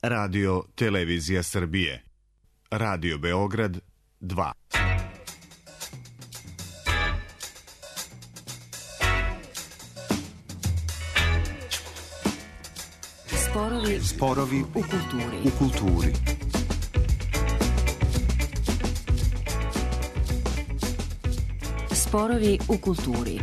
Radio Televizija Srbije. Radio Beograd 2. Sporovi u kulturi. Sporovi u kulturi.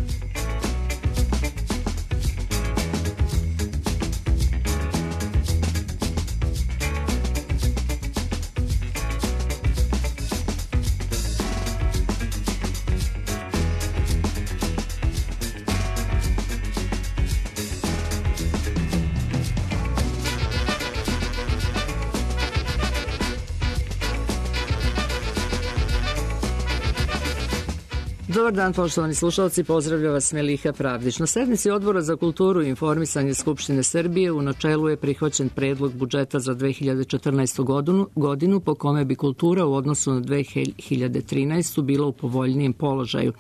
Dobar dan, poštovani slušalci, pozdravlja vas Meliha Pravdić. Na sednici Odbora za kulturu i informisanje Skupštine Srbije u načelu je prihvaćen predlog budžeta za 2014. godinu po kome bi kultura u odnosu na 2013. bila u povoljnijem položaju.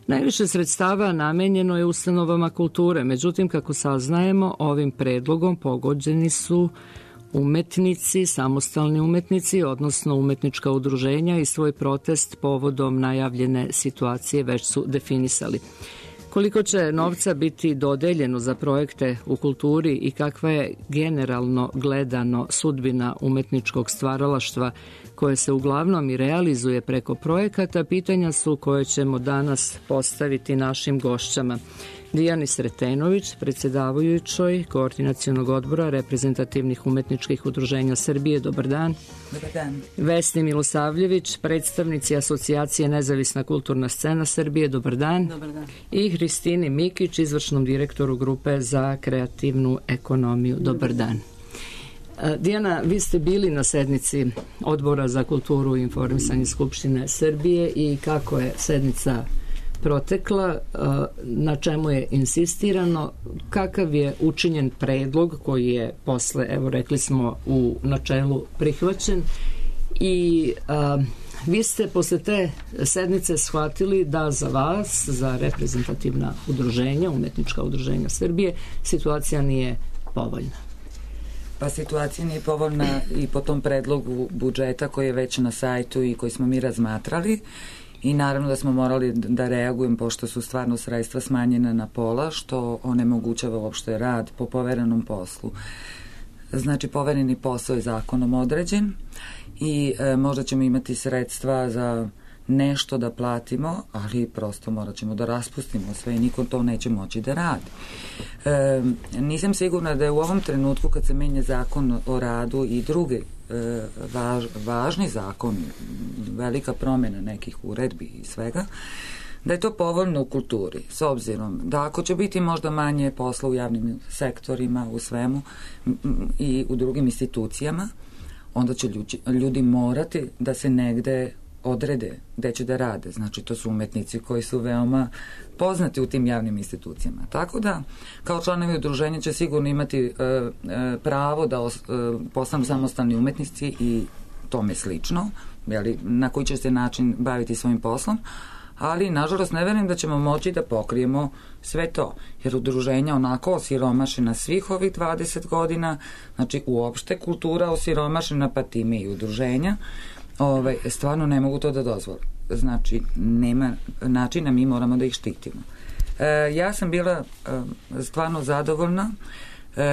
Najviše sredstava namenjeno je ustanovama kulture, međutim, kako saznajemo, ovim predlogom pogođeni su umetnici, samostalni umetnici, odnosno umetnička udruženja i svoj protest povodom najavljene situacije već su definisali. Koliko će novca biti dodeljeno za projekte u kulturi i kakva je generalno gledano sudbina umetničkog stvaralaštva koje se uglavnom i realizuje preko projekata, pitanja su koje ćemo danas postaviti našim gošćama. Dijani Sretenović, predsjedavajućoj Koordinacionog odbora reprezentativnih umetničkih udruženja Srbije. Dobar dan. Dobar dan. Vesni Milosavljević, predstavnici Asocijacije Nezavisna kulturna scena Srbije. Dobar dan. Dobar dan. I Hristini Mikić, izvršnom direktoru Grupe za kreativnu ekonomiju. Dobar dan. Dijana, vi ste bili na sednici Odbora za kulturu i informisanje Skupštine Srbije i kako je sednica protekla, na čemu je insistirano, kakav je učinjen predlog koji je posle, evo rekli smo, u načelu prihvaćen i vi ste posle te sednice shvatili da za vas, za reprezentativna udruženja, umetnička udruženja Srbije, situacija nije povoljna. Pa situacija nije povoljna i po tom predlogu budžeta koji je već na sajtu i koji smo mi razmatrali. I naravno da smo morali da reagujemo pošto su stvarno sredstva smanjena na pola, što onemogućava uopšte rad po poverenom poslu. Znači, povereni posao je zakonom određen i možda ćemo imati sredstva za nešto da platimo, ali prosto morat ćemo da raspustimo sve i niko to neće moći da radi. Nisam sigurna da je u ovom trenutku kad se menja zakon o radu i drugi važni zakon, velika promjena nekih uredbi i svega, da je to povoljno u kulturi, s obzirom da ako će biti možda manje posla u javnim sektorima, u svemu i u drugim institucijama, onda će ljudi morati da se negde odrede gde će da rade. Znači, to su umetnici koji su veoma poznati u tim javnim institucijama. Tako da, kao članovi udruženja će sigurno imati pravo da postanu samostalni umetnici i tome slično, na koji će se način baviti svojim poslom, ali nažalost ne verujem da ćemo moći da pokrijemo sve to, jer udruženja onako osiromašena svih ovih 20 godina, znači uopšte kultura osiromašena, pa time i udruženja, stvarno ne mogu to da dozvole. Znači, nema načina, mi moramo da ih štitimo. Ja sam bila stvarno zadovoljna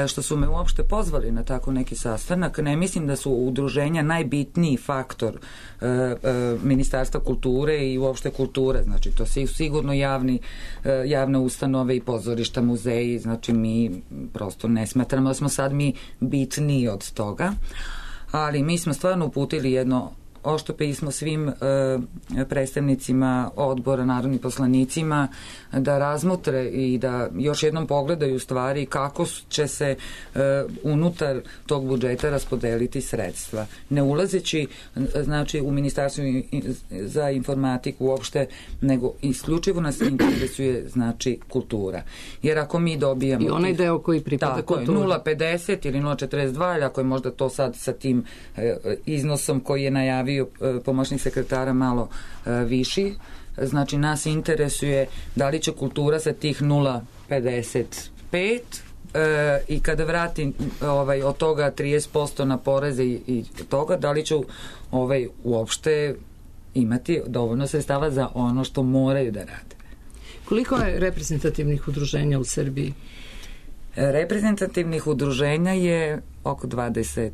što su me uopšte pozvali na tako neki sastanak. Ne mislim da su udruženja najbitniji faktor Ministarstva kulture i uopšte kulture. Znači, to su sigurno javne ustanove i pozorišta, muzeji. Znači, mi prosto ne smatramo da smo sad mi bitniji od toga. Ali mi smo stvarno uputili jedno ošto pismo svim predstavnicima odbora, narodnim poslanicima, da razmotre i da još jednom pogledaju stvari kako će se unutar tog budžeta raspodeliti sredstva. Ne ulazeći, znači, u Ministarstvu za informatiku uopšte, nego isključivo nas interesuje, znači, kultura. Jer ako mi dobijamo... I onaj deo koji pripada kulturi. 0,50 ili 0,42, ili ako je možda to sad sa tim iznosom koji je najavio pomoćnik sekretara malo viši, znači nas interesuje da li će kultura sa tih 0,55 i kada vratim od toga 30% na poreze i toga, da li ću uopšte imati dovoljno sredstava za ono što moraju da rade. Koliko je reprezentativnih udruženja u Srbiji? Reprezentativnih udruženja je oko 30,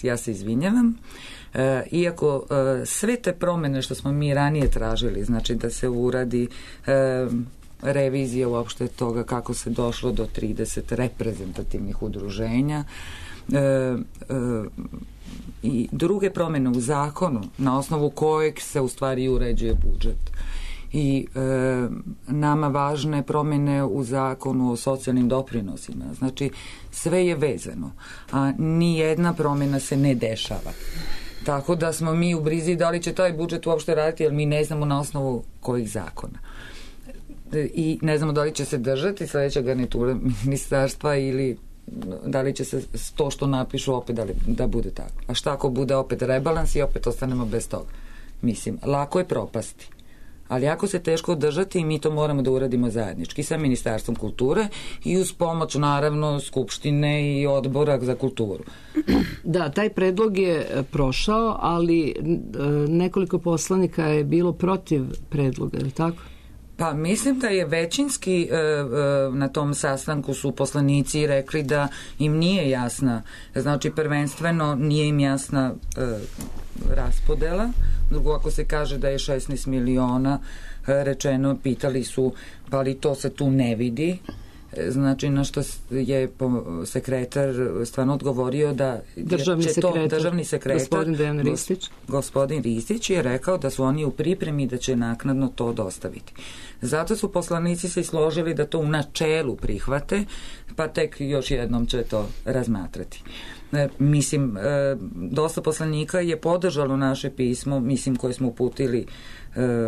ja se izvinjavam. Iako sve te promene što smo mi ranije tražili, znači da se uradi revizija uopšte toga kako se došlo do 30 reprezentativnih udruženja i druge promene u zakonu na osnovu kojeg se u stvari uređuje budžet i nama važne promene u zakonu o socijalnim doprinosima. Znači sve je vezano, a ni jedna promena se ne dešava. Tako da smo mi u brizi da li će taj budžet uopšte raditi, jer mi ne znamo na osnovu kojih zakona. I ne znamo da li će se držati sledeća garnitura ministarstva ili da li će se to što napišu opet da bude tako. A šta ako bude opet rebalans i opet ostanemo bez toga? Mislim, lako je propasti. Ali jako se teško održati i mi to moramo da uradimo zajednički sa Ministarstvom kulture i uz pomoć naravno Skupštine i Odbora za kulturu. Da, taj predlog je prošao, ali nekoliko poslanika je bilo protiv predloga, je li tako? Pa mislim da je većinski na tom sastanku su poslanici rekli da im nije jasna, znači prvenstveno nije im jasna raspodela. Drugo, ako se kaže da je 16 miliona rečeno, pitali su pa li to se tu ne vidi, znači na što je sekretar stvarno odgovorio da državni sekretar gospodin Ristić je rekao da su oni u pripremi i da će naknadno to dostaviti. Zato su poslanici se složili da to u načelu prihvate, pa tek još jednom će to razmatrati. Mislim, dosta poslanika je podržalo naše pismo, mislim, koje smo uputili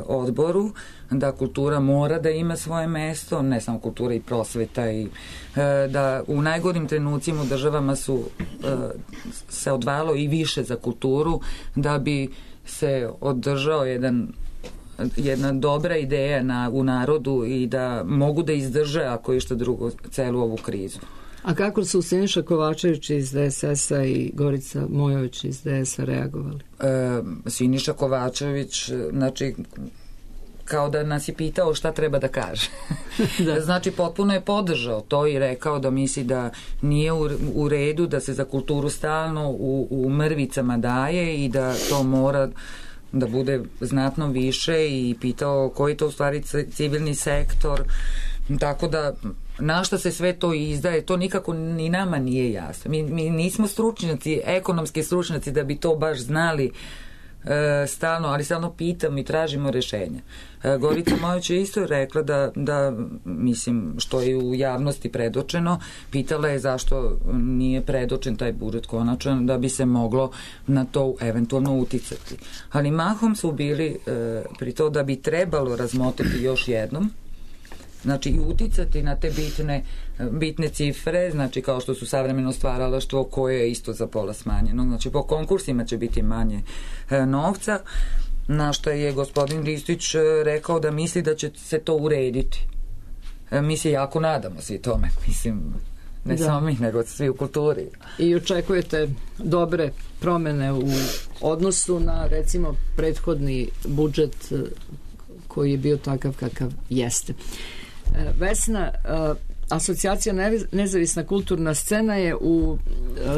odboru, da kultura mora da ima svoje mesto, ne samo kultura i prosveta, i da u najgorim trenucima u državama se odvajalo i više za kulturu da bi se održao jedna dobra ideja u narodu i da mogu da izdrže, ako je što drugo, celu ovu krizu. A kako su Siniša Kovačević iz DSS-a i Gorica Mojović iz DS-a reagovali? Siniša Kovačević, znači, kao da nas je pitao šta treba da kaže. Da. Znači, potpuno je podržao to i rekao da misli da nije u redu da se za kulturu stalno u mrvicama daje i da to mora da bude znatno više i pitao koji to u stvari civilni sektor, tako da na šta se sve to izdaje, to nikako ni nama nije jasno. Mi nismo stručnjaci, ekonomski stručnjaci da bi to baš znali stalno, ali stalno pitamo i tražimo rešenja. Gorica Mojović je isto rekla da mislim, što je u javnosti predočeno, pitala je zašto nije predočen taj budžet konačan, da bi se moglo na to eventualno uticati. Ali mahom su bili pri to da bi trebalo razmotriti još jednom, znači i uticati na te bitne cifre, znači kao što su savremeno stvaralaštvo koje je isto za pola smanjeno, znači po konkursima će biti manje novca, na što je gospodin Ristić rekao da misli da će se to urediti. Mi se jako nadamo svi tome, mislim, ne samo mi, nego svi u kulturi. I očekujete dobre promene u odnosu na, recimo, prethodni budžet koji je bio takav kakav jeste. Vesna, Asocijacija Nezavisna kulturna scena je u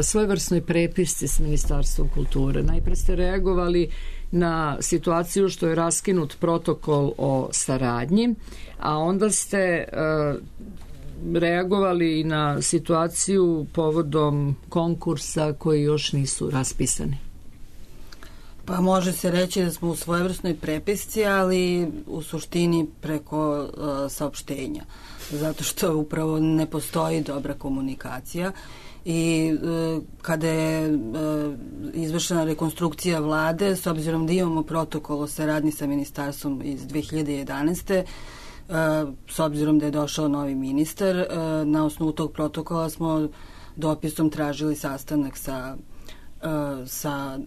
svojevrsnoj prepisci s Ministarstvom kulture. Najpre ste reagovali na situaciju što je raskinut protokol o saradnji, a onda ste reagovali na situaciju povodom konkursa koji još nisu raspisani. Pa može se reći da smo u svojevrsnoj prepisci, ali u suštini preko saopštenja, zato što upravo ne postoji dobra komunikacija i kada je izvršena rekonstrukcija vlade, s obzirom da imamo protokol o saradnji sa ministarstvom iz 2011. S obzirom da je došao novi ministar, na osnovu tog protokola smo dopisom tražili sastanak sa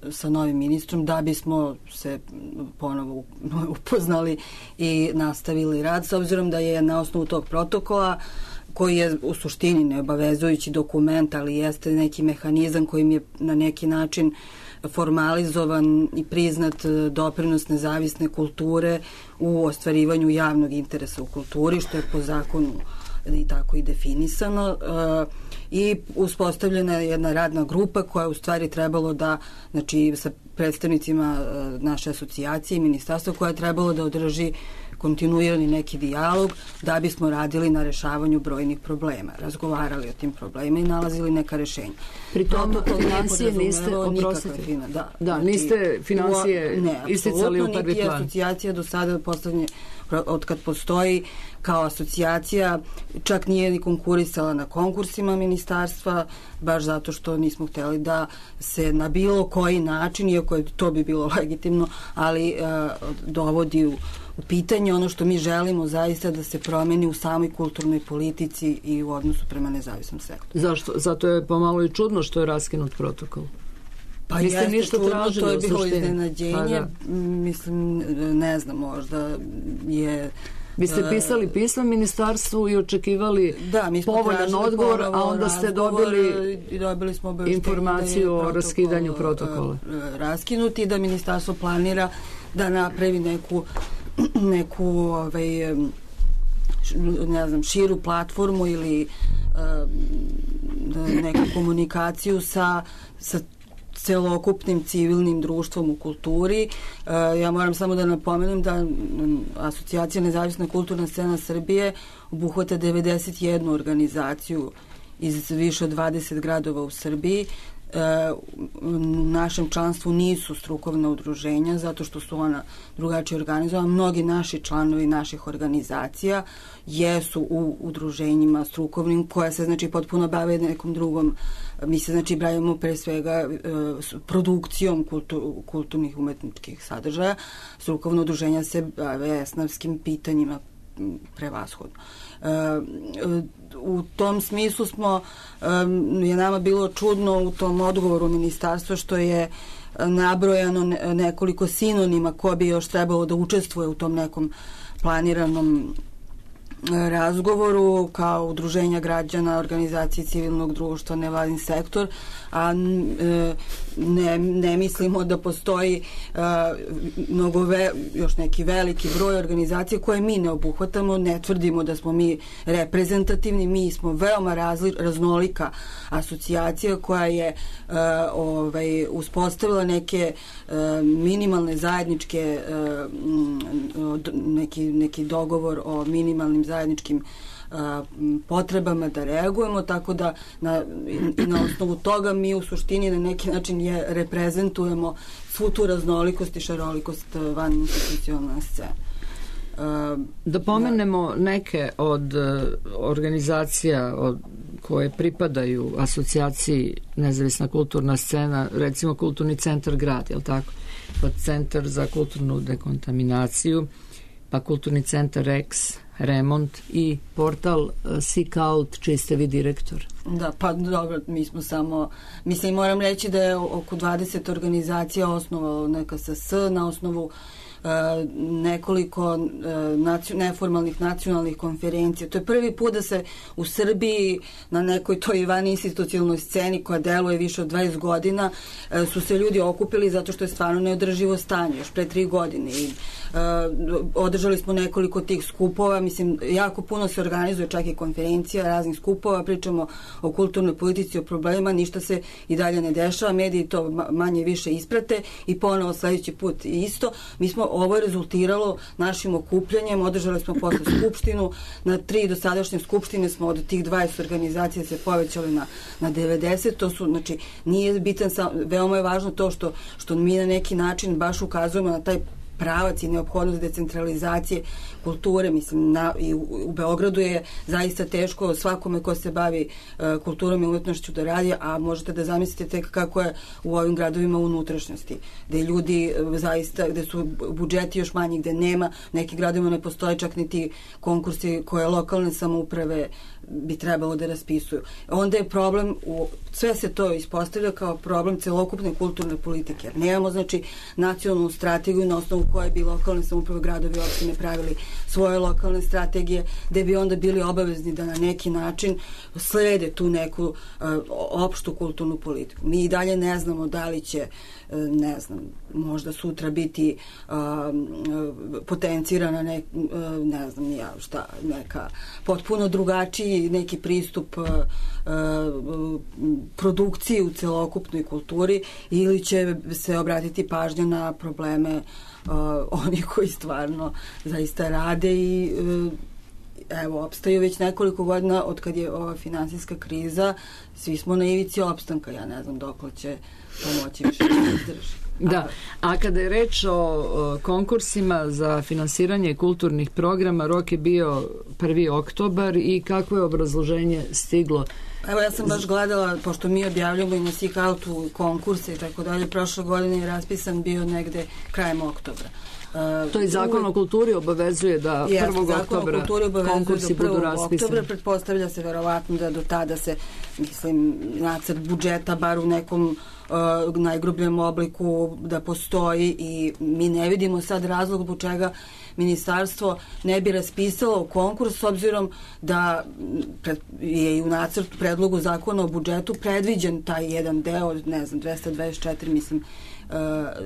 sa novim ministrom da bismo se ponovo upoznali i nastavili rad, s obzirom da je na osnovu tog protokola, koji je u suštini neobavezujući dokument, ali jeste neki mehanizam kojim je na neki način formalizovan i priznat doprinos nezavisne kulture u ostvarivanju javnog interesa u kulturi, što je po zakonu i tako i definisano. I uspostavljena je jedna radna grupa koja je u stvari trebalo da, znači sa predstavnicima naše asocijacije i ministarstva, koja je trebalo da održi kontinuirani neki dijalog da bismo radili na rešavanju brojnih problema, razgovarali o tim problemima i nalazili neka rešenja. Pri tom financije niste, oprostite, niste financije isticali u prvi plan. Niti asocijacija do sada od kad postoji kao asocijacija čak nije ni konkurisala na konkursima ministarstva, baš zato što nismo hteli da se na bilo koji način, iako to bi bilo legitimno, ali dovodi u pitanje ono što mi želimo zaista da se promeni u samoj kulturnoj politici i u odnosu prema nezavisnom sektoru. Zašto? Zato je pomalo i čudno što je raskinut protokol. Pa jeste čudno, to je bilo iznenađenje. Mislim, ne znam, možda je... Vi ste pisali pismo ministarstvu i očekivali povoljan odgovor, a onda ste dobili smo informaciju o raskidanju protokola. Raskinuti, da ministarstvo planira da napravi neku ne znam, širu platformu ili neku komunikaciju sa celokupnim civilnim društvom u kulturi. Ja moram samo da napomenem da Asocijacija Nezavisna kulturna scena Srbije obuhvata 91 organizaciju iz više od 20 gradova u Srbiji. U našem članstvu nisu strukovna udruženja zato što su ona drugačije organizovana. Mnogi naši članovi naših organizacija jesu u udruženjima strukovnim koja se znači potpuno bave nekom drugom. Mi se znači bavimo pre svega produkcijom kulturnih umetničkih sadržaja. Strukovno udruženja se bave esnavskim pitanjima prevashodno. U tom smislu je nama bilo čudno u tom odgovoru ministarstva što je nabrojano nekoliko sinonima ko bi još trebalo da učestvuje u tom nekom planiranom razgovoru, kao udruženja građana, organizacije civilnog društva, nevladin sektor, a ne mislimo da postoji još neki veliki broj organizacija koje mi ne obuhvatamo, ne tvrdimo da smo mi reprezentativni, mi smo veoma raznolika asocijacija koja je uspostavila neke minimalne zajedničke neki dogovor o minimalnim zajedničkim potrebama da reagujemo, tako da na osnovu toga mi u suštini na neki način reprezentujemo svu tu raznolikost i šarolikost van institucionalne scene. Da pomenemo neke od organizacija koje pripadaju asocijaciji Nezavisna kulturna scena, recimo Kulturni centar grad, je li tako? Pa Centar za kulturnu dekontaminaciju, pa Kulturni centar Rex, Remont i portal Seekout, čiji ste vi direktor. Da, pa dobro, mi smo samo, mislim, moram reći da je oko 20 organizacija osnovalo NKSS na osnovu nekoliko neformalnih nacionalnih konferencija. To je prvi put da se u Srbiji na nekoj toj van institucionalnoj sceni koja deluje više od 20 godina su se ljudi okupili zato što je stvarno neodrživo stanje još pre 3 godine i održali smo nekoliko tih skupova, mislim, jako puno se organizuje čak i konferencija, raznih skupova, pričamo o kulturnoj politici, o problemima, ništa se i dalje ne dešava, mediji to manje više isprate i ponovo sledeći put isto. Mi smo ovo je rezultiralo našim okupljanjem, održali smo posle skupštinu, na 3 dosadašnje skupštine smo od tih 20 organizacija se povećali na 90, to su, znači, nije bitan, veoma je važno to što mi na neki način baš ukazujemo na taj pravac i neophodnost decentralizacije kulture, mislim, i u Beogradu je zaista teško svakome ko se bavi kulturom i umetnošću da radi, a možete da zamislite tek kako je u ovim gradovima unutrašnjosti, gde ljudi zaista, gde su budžeti još manji, gde nema, nekim gradovima ne postoje čak niti konkursi koje lokalne samouprave bi trebalo da raspisuju. Onda je problem u sve se to ispostavlja kao problem celokupne kulturne politike. Nemamo, znači, nacionalnu strategiju na osnovu koje bi lokalne samouprave, gradovi i opštine pravili svoje lokalne strategije, gde bi onda bili obavezni da na neki način slede tu neku opštu kulturnu politiku. Mi i dalje ne znamo da li će, ne znam, možda sutra biti potencirana ne znam ni ja šta, neka potpuno drugačiji neki pristup produkciji u celokupnoj kulturi, ili će se obratiti pažnja na probleme oni koji stvarno zaista rade i evo, opstaju već nekoliko godina od kad je ova finansijska kriza, svi smo na ivici opstanka, ja ne znam dokle će pomoći više da izdrži. Da, a kada je reč o konkursima za finansiranje kulturnih programa, rok je bio 1. oktobar i kako je obrazloženje stiglo? Evo, ja sam baš gledala, pošto mi objavljamo i na Sikaltu konkurse i tako dalje, prošle godine je raspisan bio negde krajem oktobra. To je Zakon o kulturi obavezuje da 1. oktobra konkursi budu raspisani. Pretpostavlja se verovatno da do tada se, mislim, nacrt budžeta bar u nekom najgrubljem obliku da postoji i mi ne vidimo sad razlog zbog čega ministarstvo ne bi raspisalo konkurs, s obzirom da je i u nacrtu predlogu zakona o budžetu predviđen taj jedan deo, ne znam, 224, mislim,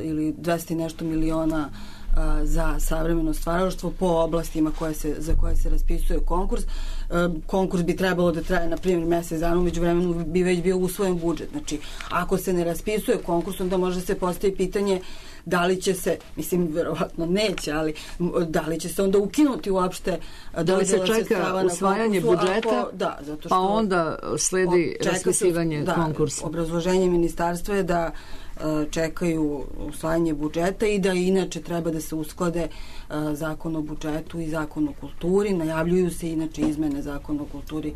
ili 200 nešto miliona za savremeno stvaralaštvo po oblastima za koje se raspisuje konkurs. Konkurs bi trebalo da traje, na primjer, mesec dana, umeđu vremenu bi već bio usvojen budžet. Znači, ako se ne raspisuje konkurs, onda može se postaviti pitanje da li će se, mislim, verovatno neće, ali da li će se onda ukinuti uopšte da li se čeka usvajanje budžeta, zato što, pa onda sledi raspisivanje konkursa. Obrazloženje ministarstva je da čekaju usvajanje budžeta i da inače treba da se usklade Zakon o budžetu i Zakon o kulturi. Najavljuju se inače izmene Zakona o kulturi,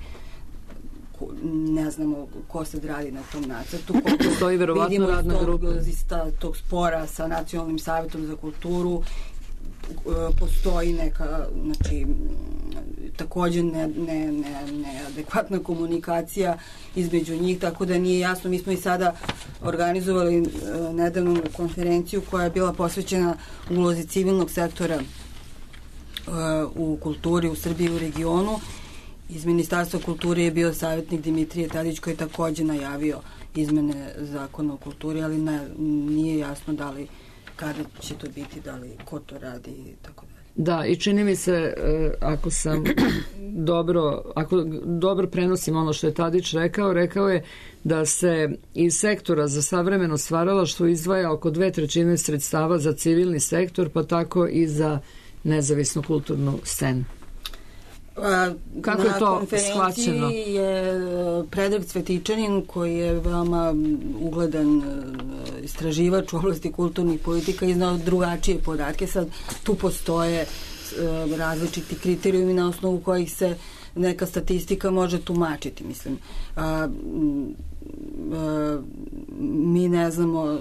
ne znamo ko se radi na tom nacrtu. Stoji verovatno radna grupa. Tog spora sa Nacionalnim savetom za kulturu postoji neka, znači, takođe neadekvatna komunikacija između njih, tako da nije jasno. Mi smo i sada organizovali nedavnu konferenciju koja je bila posvećena ulozi civilnog sektora u kulturi u Srbiji i u regionu. Iz Ministarstva kulture je bio savjetnik Dimitrije Tadić koji je takođe najavio izmene Zakona o kulturi, ali nije jasno da li, kada će to biti, da li, ko to radi i tako dalje. Da, i čini mi se, ako dobro prenosim ono što je Tadić rekao je da se iz sektora za savremeno stvaralaštvo izdvaja oko 2/3 sredstava za civilni sektor, pa tako i za nezavisnu kulturnu scenu. Kako je to shvaćeno? Na konferenciji je Predrag Cvetičanin, koji je veoma ugledan istraživač u oblasti kulturnih politika, iznao drugačije podatke. Sad tu postoje različiti kriterijumi na osnovu kojih se neka statistika može tumačiti. Mislim, mi ne znamo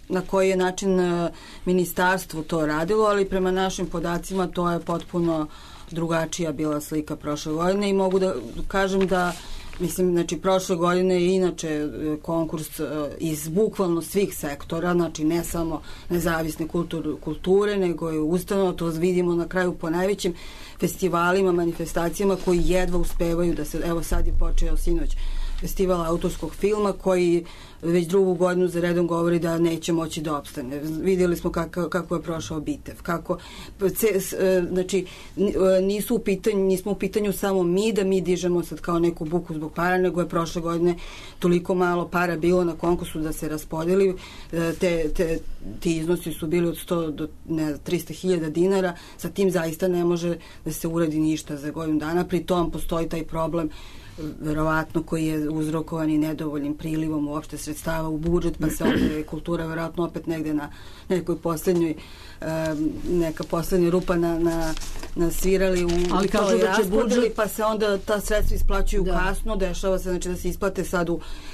na koji je način ministarstvo to radilo, ali prema našim podacima to je potpuno drugačija bila slika prošle godine i mogu da kažem da, mislim, znači, prošle godine je inače konkurs iz bukvalno svih sektora, znači ne samo nezavisne kulture, nego je ustanova, to vidimo na kraju po najvećim festivalima, manifestacijama koji jedva uspevaju da se, evo sad je počeo sinoć festival autorskog filma koji već drugu godinu za redom govori da neće moći da opstane. Vidjeli smo kako je prošao Bitev. Znači, nismo u pitanju samo mi da mi dižemo sad kao neku buku zbog para, nego je prošle godine toliko malo para bilo na konkursu da se raspodeli. Ti iznosi su bili od 100 do 300.000 dinara. Sa tim zaista ne može da se uradi ništa za godinu dana. Pri tom postoji taj problem verovatno koji je uzrokovan i nedovoljnim prilivom uopšte sredstava u budžet, pa se ovdje kultura verovatno opet negde na nekoj poslednjoj neka poslednja rupa nasvirali u toj raspodeli, pa se onda ta sredstva isplaćuju kasno, dešava se znači da se isplate sad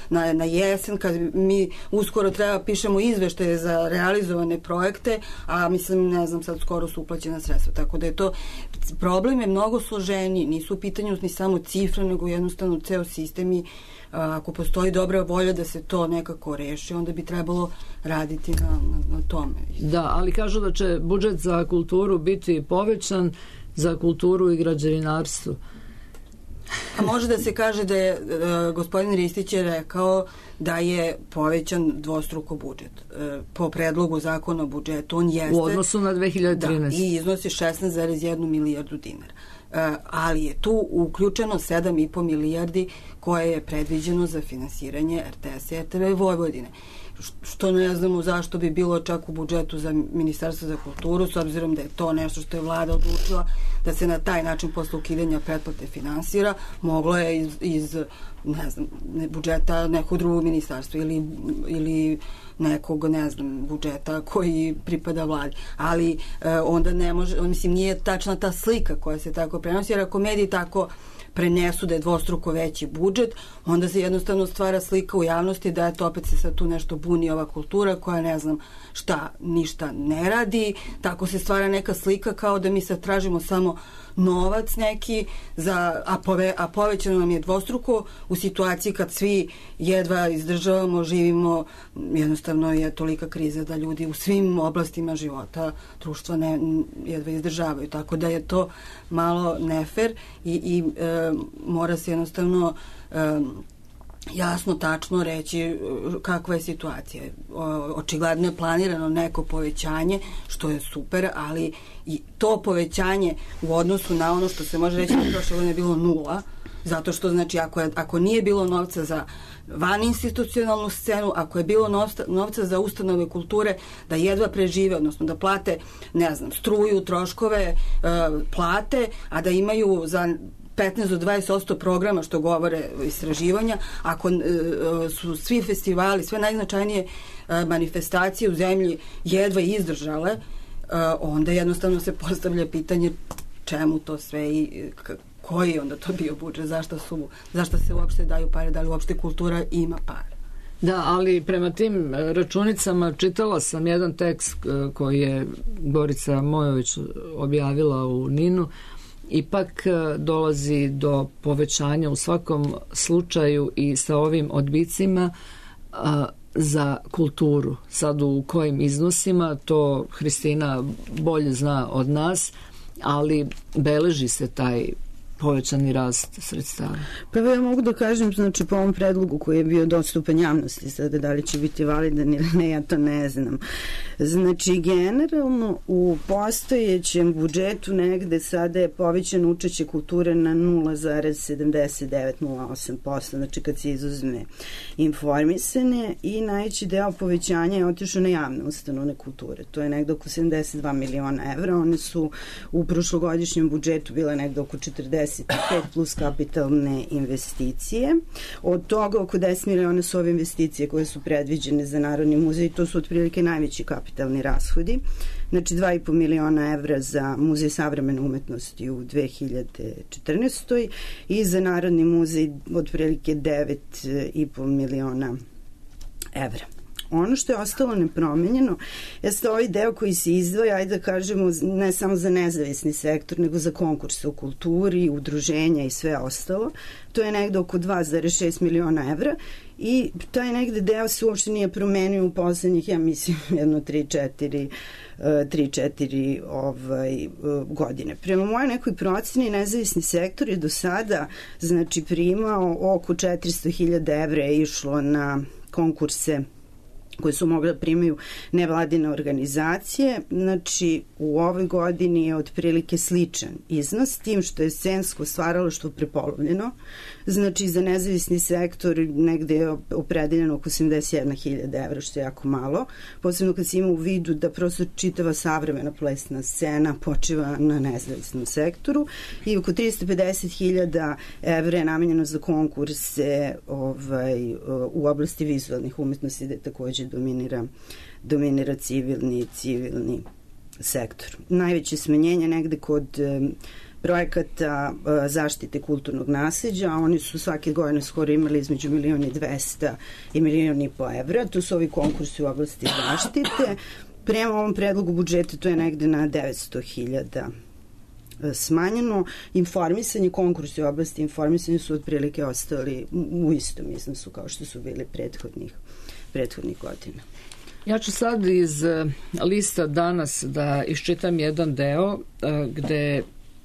na jesen, kad mi uskoro treba pišemo izveštaje za realizovane projekte, a mislim, ne znam, sad skoro su uplaćena sredstva, tako da je to problem je mnogo složeniji, nisu u pitanju ni samo cifre, nego jednostavno ceo sistem i ako postoji dobra volja da se to nekako reši, onda bi trebalo raditi na tome. Da, ali kažu da će budžet za kulturu biti povećan, za kulturu i građevinarstvo. A može da se kaže da je gospodin Ristić je rekao da je povećan dvostruko budžet. Po predlogu zakona o budžetu on jeste... U odnosu na 2013. Da, i iznosi 16,1 milijardu dinara. Ali je tu uključeno 7,5 milijardi koje je predviđeno za finansiranje RTS i RTV Vojvodine. Što ne znamo zašto bi bilo čak u budžetu za Ministarstvo za kulturu, s obzirom da je to nešto što je vlada odlučila da se na taj način posle ukidanja pretplate finansira, moglo je iz ne znam, budžeta nekog drugog ministarstva ili nekog, ne znam, budžeta koji pripada vladi. Ali onda ne može, mislim, nije tačna ta slika koja se tako prenosi, jer ako mediji tako prenesu da je dvostruko veći budžet, onda se jednostavno stvara slika u javnosti da je to opet se sad tu nešto buni ova kultura koja ne znam šta, ništa ne radi, tako se stvara neka slika kao da mi sad tražimo samo novac neki, a povećano nam je dvostruko u situaciji kad svi jedva izdržavamo, živimo, jednostavno je tolika kriza da ljudi u svim oblastima života društva jedva izdržavaju, tako da je to malo nefer i mora se jednostavno jasno, tačno reći kakva je situacija. Očigledno je planirano neko povećanje, što je super, ali i to povećanje u odnosu na ono što se može reći da prošle godine je bilo 0, zato što znači ako nije bilo novca za vaninstitucionalnu scenu, ako je bilo novca za ustanove kulture da jedva prežive, odnosno da plate, ne znam, struju, troškove, plate, a da imaju za 15 do 20% programa, što govore istraživanja, ako su svi festivali, sve najznačajnije manifestacije u zemlji jedva izdržale, onda jednostavno se postavlja pitanje čemu to sve i koji onda to bio budžet, zašto se uopšte daju pare, da li uopšte kultura ima pare. Da, ali prema tim računicama čitala sam jedan tekst koji je Gorica Mojović objavila u NIN-u. Ipak dolazi do povećanja u svakom slučaju i sa ovim odbicima za kulturu. Sad u kojim iznosima, to Hristina bolje zna od nas, ali beleži se taj povećani rast sredstava. Pa ja mogu da kažem, znači po ovom predlogu koji je bio dostupan javnosti, sada da li će biti validan ili ne, ja to ne znam. Znači generalno u postojećem budžetu negde sada je povećan učešće kulture na 0,7908%, znači kad se izuzme informisane, i najveći deo povećanja je otišao na javne ustanove kulture. To je negde oko 72 miliona evra. One su u prošlogodišnjem budžetu bile negde oko 45 plus kapitalne investicije. Od toga oko 10 miliona su ove investicije koje su predviđene za Narodni muzej, to su otprilike najveći kapitalni rashodi. Znači 2,5 miliona evra za Muzej savremene umetnosti u 2014. i za Narodni muzej otprilike 9,5 miliona evra. Ono što je ostalo nepromenjeno jeste ovaj deo koji se izdvaja, ajde da kažemo, ne samo za nezavisni sektor, nego za konkurse u kulturi, udruženja i sve ostalo. To je negde oko 2,6 miliona evra i taj negde deo se uopšte nije promenio u poslednjih, ja mislim, 3-4 godine. Prema moje nekoj proceni, nezavisni sektor je do sada, znači, primao oko 400.000 evra je išlo na konkurse koje su mogle da primaju nevladine organizacije. Znači, u ovoj godini je otprilike sličan iznos, tim što je scensko stvaralaštvo prepolovljeno. Znači, za nezavisni sektor negde je opredeljeno oko 81.000 evra, što je jako malo. Posebno kad se ima u vidu da prosto čitava savremena plesna scena počiva na nezavisnom sektoru i oko 350.000 evra je namenjeno za konkurse u oblasti vizualnih umetnosti, gde takođe dominira civilni sektor. Najveće smanjenje negde kod projekata zaštite kulturnog nasleđa, a oni su svake godine skoro imali između 1.200.000 i 1.500.000 evra. To su ovi konkursi u oblasti zaštite. Prema ovom predlogu budžeta to je negde na 900.000 smanjeno. Informisanje, konkursi u oblasti informisanja su otprilike ostali u istom iznosu kao što su bili prethodnih godina. Ja ću sad iz lista danas da iščitam jedan deo gde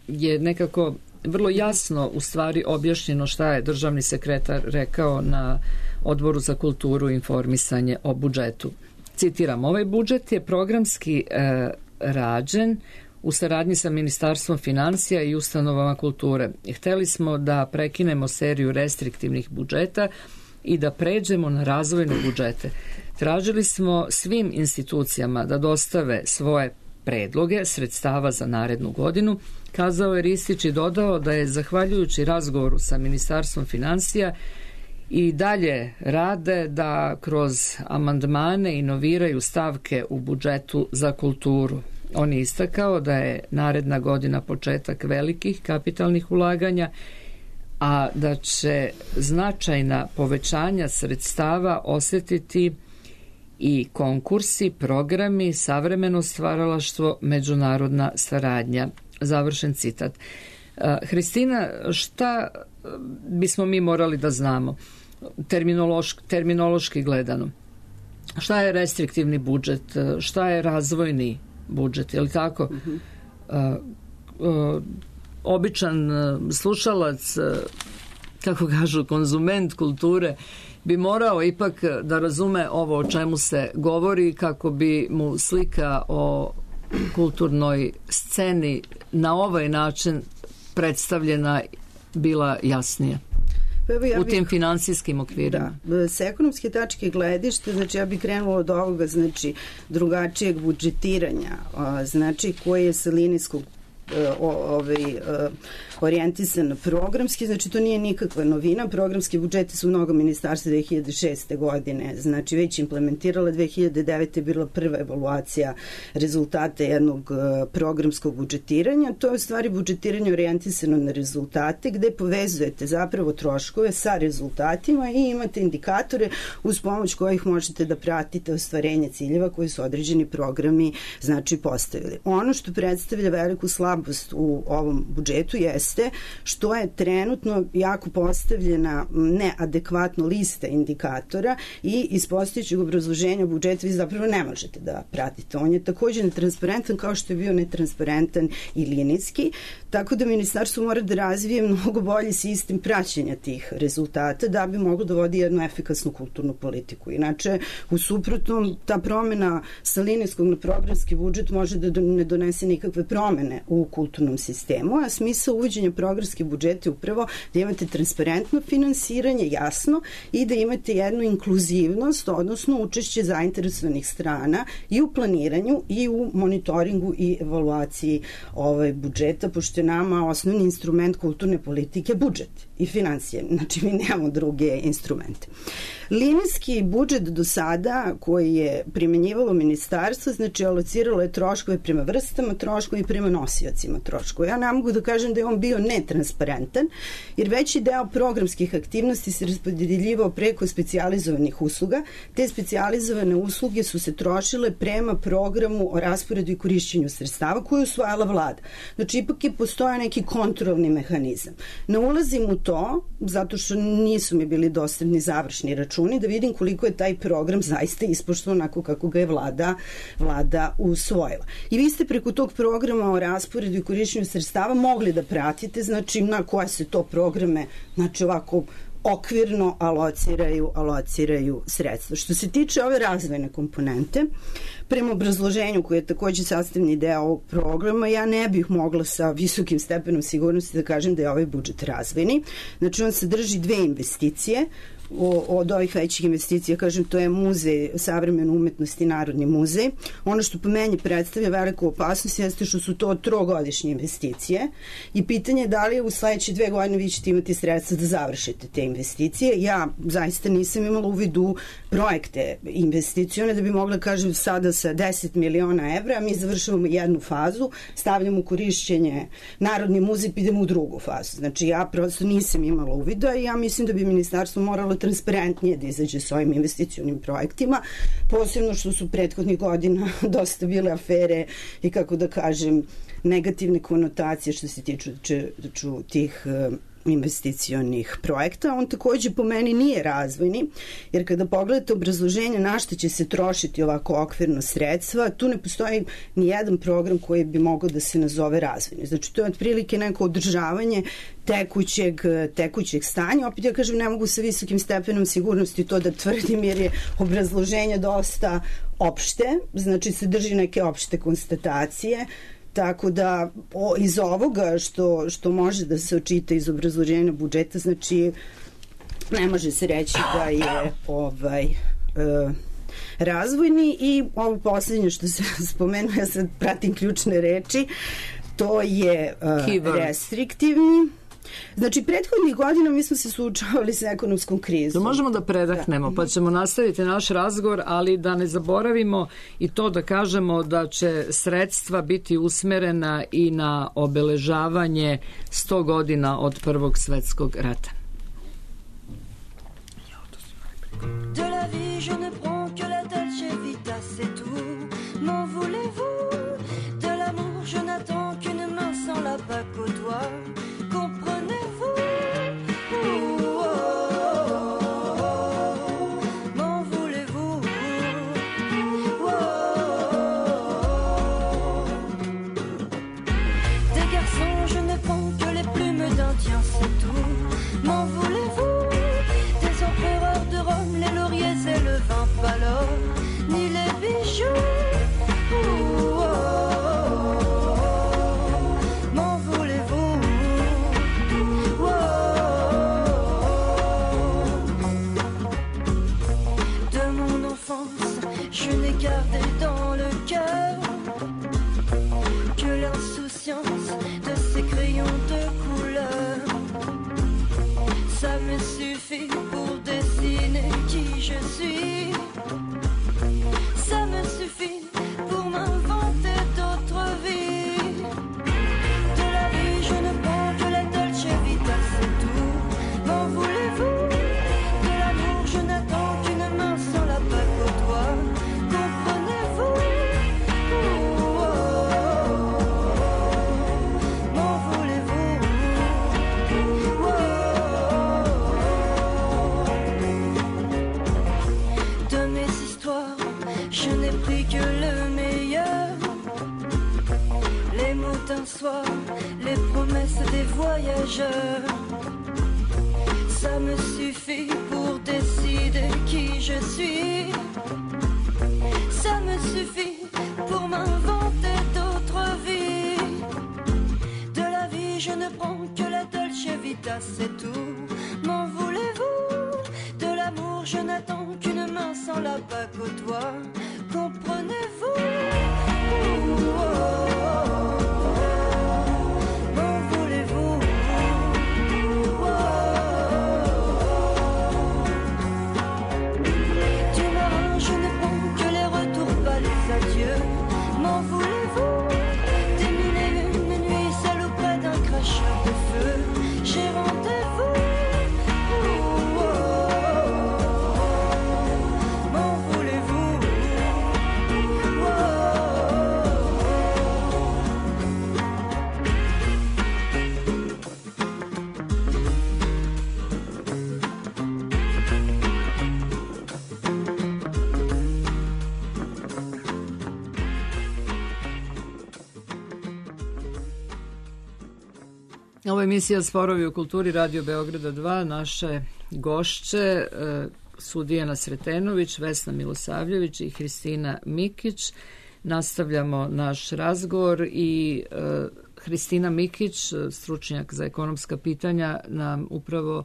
je nekako vrlo jasno u stvari objašnjeno šta je državni sekretar rekao na Odboru za kulturu i informisanje o budžetu. Citiram, ovaj budžet je programski rađen u saradnji sa Ministarstvom finansija i ustanovama kulture. Hteli smo da prekinemo seriju restriktivnih budžeta i da pređemo na razvojne budžete. Tražili smo svim institucijama da dostave svoje predloge sredstava za narednu godinu, kazao je Ristić i dodao da je zahvaljujući razgovoru sa Ministarstvom finansija i dalje rade da kroz amandmane inoviraju stavke u budžetu za kulturu. On je istakao da je naredna godina početak velikih kapitalnih ulaganja, a da će značajna povećanja sredstava osetiti i konkursi, programi, savremeno stvaralaštvo, međunarodna saradnja. Završen citat. Hristina, šta bismo mi morali da znamo terminološki gledano? Šta je restriktivni budžet? Šta je razvojni budžet? Je li tako? Običan slušalac, kako kažu, konzument kulture bi morao ipak da razume ovo o čemu se govori kako bi mu slika o kulturnoj sceni na ovaj način predstavljena bila jasnija. U tim finansijskim okvirima. Da, s ekonomske tačke gledište, znači ja bih krenula od ovoga, znači drugačijeg budžetiranja, znači koje je sa linijskog orijentisan programski, znači to nije nikakva novina. Programski budžeti su mnogo ministarstva 2006. godine, znači već implementirala. 2009. je bila prva evaluacija rezultata jednog programskog budžetiranja. To je u stvari budžetiranje orijentisano na rezultate, gde povezujete zapravo troškove sa rezultatima i imate indikatore uz pomoć kojih možete da pratite ostvarenje ciljeva koji su određeni programi znači postavili. Ono što predstavlja veliku slabost u ovom budžetu jeste što je trenutno jako postavljena neadekvatno lista indikatora i iz postojećeg obrazloženja budžeta vi zapravo ne možete da pratite. On je takođe netransparentan kao što je bio netransparentan i linijski, tako da ministarstvo mora da razvije mnogo bolji sistem praćenja tih rezultata da bi moglo da vodi jednu efikasnu kulturnu politiku. Inače, u suprotnom, ta promena sa linijskog na programski budžet može da ne donese nikakve promene u kulturnom sistemu, a smisao uvođenja programskih budžeta je upravo da imate transparentno finansiranje, jasno, i da imate jednu inkluzivnost, odnosno učešće zainteresovanih strana i u planiranju i u monitoringu i evaluaciji budžeta, pošto je nama osnovni instrument kulturne politike budžet i financije, znači mi nemamo druge instrumente. Linijski budžet do sada koji je primenjivalo ministarstvo, znači alociralo je troškove prema vrstama troškova i prema nosiocima troškova. Ja ne mogu da kažem da je on bio netransparentan, jer veći deo programskih aktivnosti se raspodeljivao preko specijalizovanih usluga. Te specijalizovane usluge su se trošile prema programu o rasporedu i korišćenju sredstava koju je usvajala vlada. Znači, ipak je postoja neki kontrolni mehanizam. Ne ulazim u to, zato što nisu mi bili dostupni završni računi, da vidim koliko je taj program zaista ispoštovan onako kako ga je vlada usvojila. I vi ste preko tog programa o rasporedu i korišćenju sredstava mogli da pratite, znači na koje se to programe, znači ovako okvirno alociraju sredstva. Što se tiče ove razvojne komponente, prema obrazloženju koje je takođe sastavni deo ovog programa, ja ne bih mogla sa visokim stepenom sigurnosti da kažem da je ovaj budžet razvojni. Znači, on sadrži dve investicije. Od ovih većih investicija, kažem, to je Muzej savremene umetnosti i Narodni muzej. Ono što po meni predstavlja veliku opasnost jeste što su to trogodišnje investicije i pitanje je da li u sledeće 2 godine vi ćete imati sredstva da završite te investicije. Ja zaista nisam imala uvid u projekte investicione da bi mogla kažem sada sa 10 miliona evra mi završavamo jednu fazu, stavljamo u korišćenje Narodni muzej, idemo u drugu fazu. Znači ja prosto nisam imala uvida i ja mislim da bi ministarstvo moralo transparentnije da izađe s ovim investicionim projektima, posebno što su prethodnih godina dosta bile afere i, kako da kažem, negativne konotacije što se tiču tih investicionih projekta. On takođe po meni nije razvojni, jer kada pogledate obrazloženje na što će se trošiti ovako okvirno sredstva, tu ne postoji ni jedan program koji bi mogao da se nazove razvojni. Znači, to je otprilike neko održavanje tekućeg stanja. Opet ja kažem, ne mogu sa visokim stepenom sigurnosti to da tvrdim, jer je obrazloženje dosta opšte, znači sadrži neke opšte konstatacije. Tako da iz ovoga što može da se očita iz obrazloženja budžeta, znači ne može se reći da je razvojni. I ovo poslednje što se spomenuo, ja sad pratim ključne reči, to je restriktivni. Znači, prethodnih godina mi smo se suočavali sa ekonomskom krizom. Možemo da predahnemo, pa ćemo nastaviti naš razgovor, ali da ne zaboravimo i to da kažemo da će sredstva biti usmerena i na obeležavanje 100 godina od Prvog svetskog rata. De la vie je ne prends que la dolce vita, c'est tout. M'en voulez-vous? De l'amour je n'attends qu'une main sans la bague au doigt. Comprenez-vous? M'en voulez-vous? Des garçons je ne prends que les plumes d'Indien, c'est tout. M'en voulez-vous? Des empereurs de Rome, les lauriers et le vin pâle, ni les bijoux. M'en voulez-vous? De mon enfance, je n'ai gardé dans le cœur que l'insouciance de ces crayons de couleur. Ça me suffit pour dessiner qui je suis. Ça me suffit pour m'inventer d'autres vies. De la vie je ne prends que la dolce vita, c'est tout. M'en voulez-vous? De l'amour je n'attends qu'une main sans la bague au doigt. Comprenez-vous? M'en voulez-vous? De mes histoires je n'ai pris que le meilleur. Les mots d'un soir, les promesses des voyageurs. Ça me suffit pour décider qui je suis. Ça me suffit pour m'inventer d'autres vies. De la vie je ne prends que la dolce vita, c'est tout. M'en voulez-vous? De l'amour je n'attends qu'une main sans la bague au doigt. Comprenez-vous? M'en voulez-vous? Du marin je ne prends que les retours, pas les adieux. M'en voulez-vous? Des mille et une nuits seul auprès d'un cracheur de feu. J'ai rendez-vous. M'en voulez-vous? Ovo je emisija Sporovi u kulturi Radio Beograda 2. Naše gošće su Dijana Sretenović, Vesna Milosavljević i Hristina Mikić. Nastavljamo naš razgovor i Hristina Mikić, stručnjak za ekonomska pitanja, nam upravo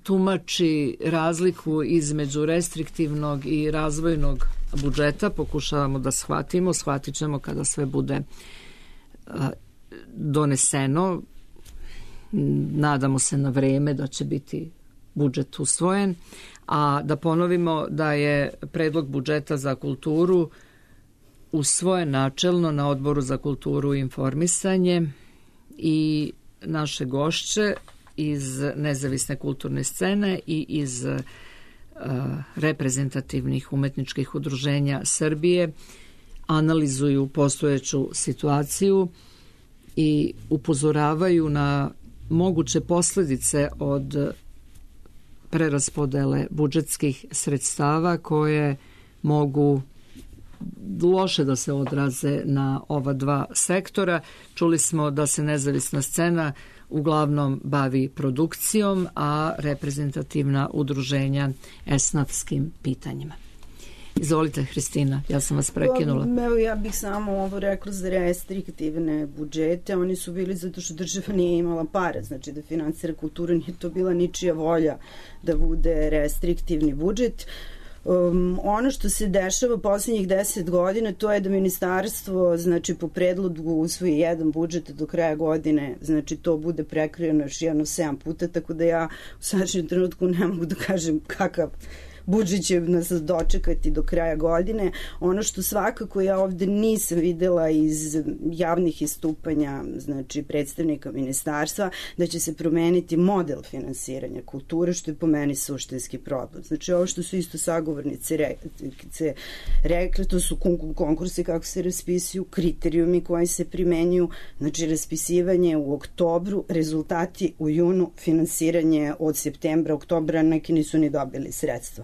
tumači razliku između restriktivnog i razvojnog budžeta. Pokušavamo da shvatimo, shvatit ćemo kada sve bude doneseno. Nadamo se na vreme da će biti budžet usvojen, a da ponovimo da je predlog budžeta za kulturu usvojen načelno na Odboru za kulturu i informisanje i naše gošće iz nezavisne kulturne scene i iz reprezentativnih umetničkih udruženja Srbije analizuju postojeću situaciju i upozoravaju na moguće posledice od preraspodele budžetskih sredstava koje mogu loše da se odraze na ova dva sektora. Čuli smo da se nezavisna scena uglavnom bavi produkcijom, a reprezentativna udruženja esnafskim pitanjima. Izvolite, Hristina, ja sam vas prekinula. Evo, ja bih samo ovo rekla za restriktivne budžete. Oni su bili zato što država nije imala para, znači da finansira kulturu, nije to bila ničija volja da bude restriktivni budžet. Ono što se dešava poslednjih 10 godina, to je da ministarstvo, znači po predlogu usvoji jedan budžet do kraja godine, znači to bude prekrojeno još 7 puta, tako da ja u sadašnjem trenutku ne mogu da kažem kakav budžet će nas dočekati do kraja godine. Ono što svakako ja ovde nisam videla iz javnih istupanja, znači predstavnika ministarstva, da će se promeniti model finansiranja kulture, što je po meni suštinski problem. Znači ovo što su isto sagovornice rekli, to su konkursi kako se raspisuju, kriterijumi koji se primenjuju, znači raspisivanje u oktobru, rezultati u junu, finansiranje od septembra, oktobra, neki nisu ni dobili sredstva.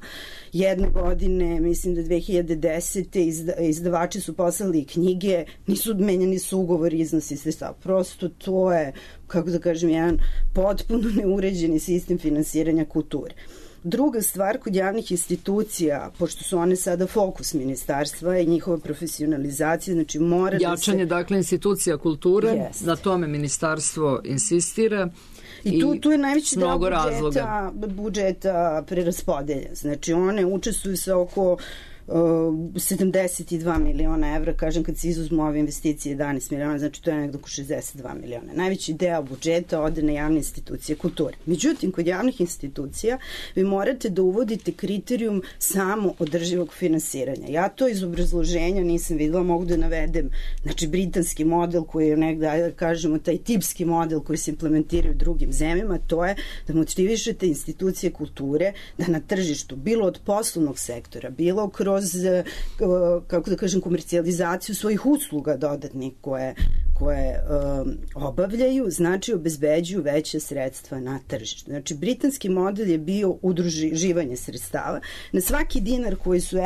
Jedne godine, mislim da 2010. izdavači su poslali knjige, nisu menjani su ugovori, iznosi sredstava. Prosto to je, kako da kažem, jedan potpuno neuređeni sistem finansiranja kulture. Druga stvar, kod javnih institucija, pošto su one sada fokus ministarstva i njihova profesionalizacija, znači mora jačanje, dakle, institucija kulture, na tome ministarstvo insistira. I tu je najveći deo budžeta preraspodelja. Znači one učestvuju sa oko 72 miliona evra, kažem kad se izuzmu ove investicije 11 miliona, znači to je nekdo oko 62 miliona. Najveći deo budžeta ode na javne institucije kulture. Međutim, kod javnih institucija vi morate da uvodite kriterijum samo održivog finansiranja. Ja to iz obrazloženja nisam videla, mogu da navedem, znači britanski model koji je negde, da kažemo, taj tipski model koji se implementira u drugim zemljama, to je da motivišete institucije kulture da na tržištu, bilo od poslovnog sektora, bilo kroz kako da kažem, komercijalizaciju svojih usluga dodatnih koje obavljaju, znači obezbeđuju veće sredstva na tržištu. Znači, britanski model je bio udruživanje sredstava. Na svaki dinar koji su